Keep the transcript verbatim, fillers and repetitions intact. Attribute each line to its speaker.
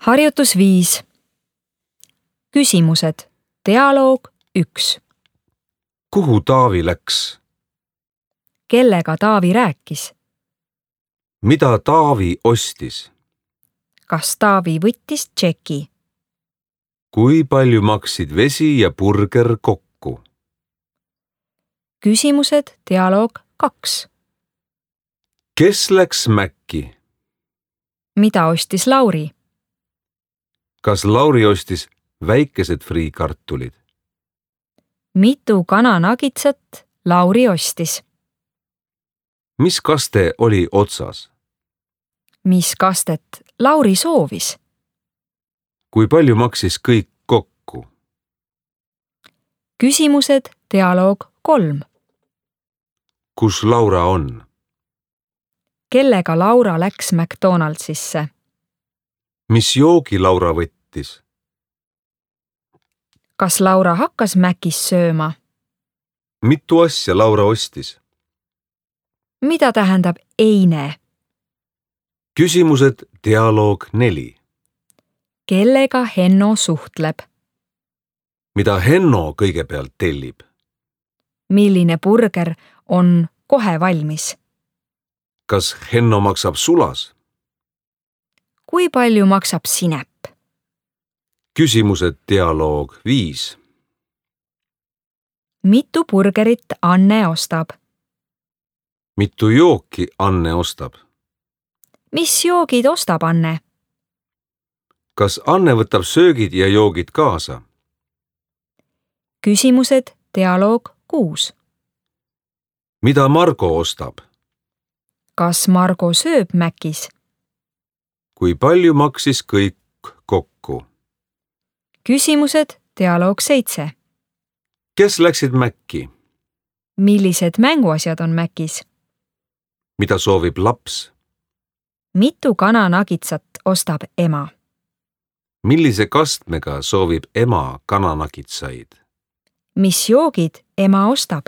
Speaker 1: Harjutus viis. Küsimused. Dialoog üks.
Speaker 2: Kuhu Taavi läks?
Speaker 1: Kellega Taavi rääkis?
Speaker 2: Mida Taavi ostis?
Speaker 1: Kas Taavi võttis tšeki?
Speaker 2: Kui palju maksid vesi ja burger kokku?
Speaker 1: Küsimused. Dialoog kaks.
Speaker 2: Kes läks Mäkki?
Speaker 1: Mida ostis Lauri?
Speaker 2: Kas Lauri ostis väikesed friikartulid?
Speaker 1: Mitu kananagitsat Lauri ostis?
Speaker 2: Mis kaste oli otsas?
Speaker 1: Mis kastet Lauri soovis?
Speaker 2: Kui palju maksis kõik kokku?
Speaker 1: Küsimused. Dialoog kolm.
Speaker 2: Kus Laura on?
Speaker 1: Kellega Laura läks McDonaldsisse?
Speaker 2: Mis joogi Laura võttis?
Speaker 1: Kas Laura hakkas Mäkis sööma?
Speaker 2: Mitu asja Laura ostis?
Speaker 1: Mida tähendab eine?
Speaker 2: Küsimused. Dialoog neli.
Speaker 1: Kellega Henno suhtleb?
Speaker 2: Mida Henno kõigepealt tellib?
Speaker 1: Milline burger on kohe valmis?
Speaker 2: Kas Henno maksab sulas?
Speaker 1: Kui palju maksab sinep?
Speaker 2: Küsimused. Dialoog viis.
Speaker 1: Mitu burgerit Anne ostab?
Speaker 2: Mitu jooki Anne ostab?
Speaker 1: Mis joogid ostab Anne?
Speaker 2: Kas Anne võtab söögid ja joogid kaasa?
Speaker 1: Küsimused. Dialoog kuus.
Speaker 2: Mida Margo ostab?
Speaker 1: Kas Margo sööb Mäkis?
Speaker 2: Kui palju maksis kõik kokku?
Speaker 1: Küsimused. Dialoog seitse.
Speaker 2: Kes läksid Mäkki?
Speaker 1: Millised mänguasjad on Mäkis?
Speaker 2: Mida soovib laps?
Speaker 1: Mitu kananagitsat ostab ema?
Speaker 2: Millise kastmega soovib ema kananagitsaid?
Speaker 1: Mis joogid ema ostab?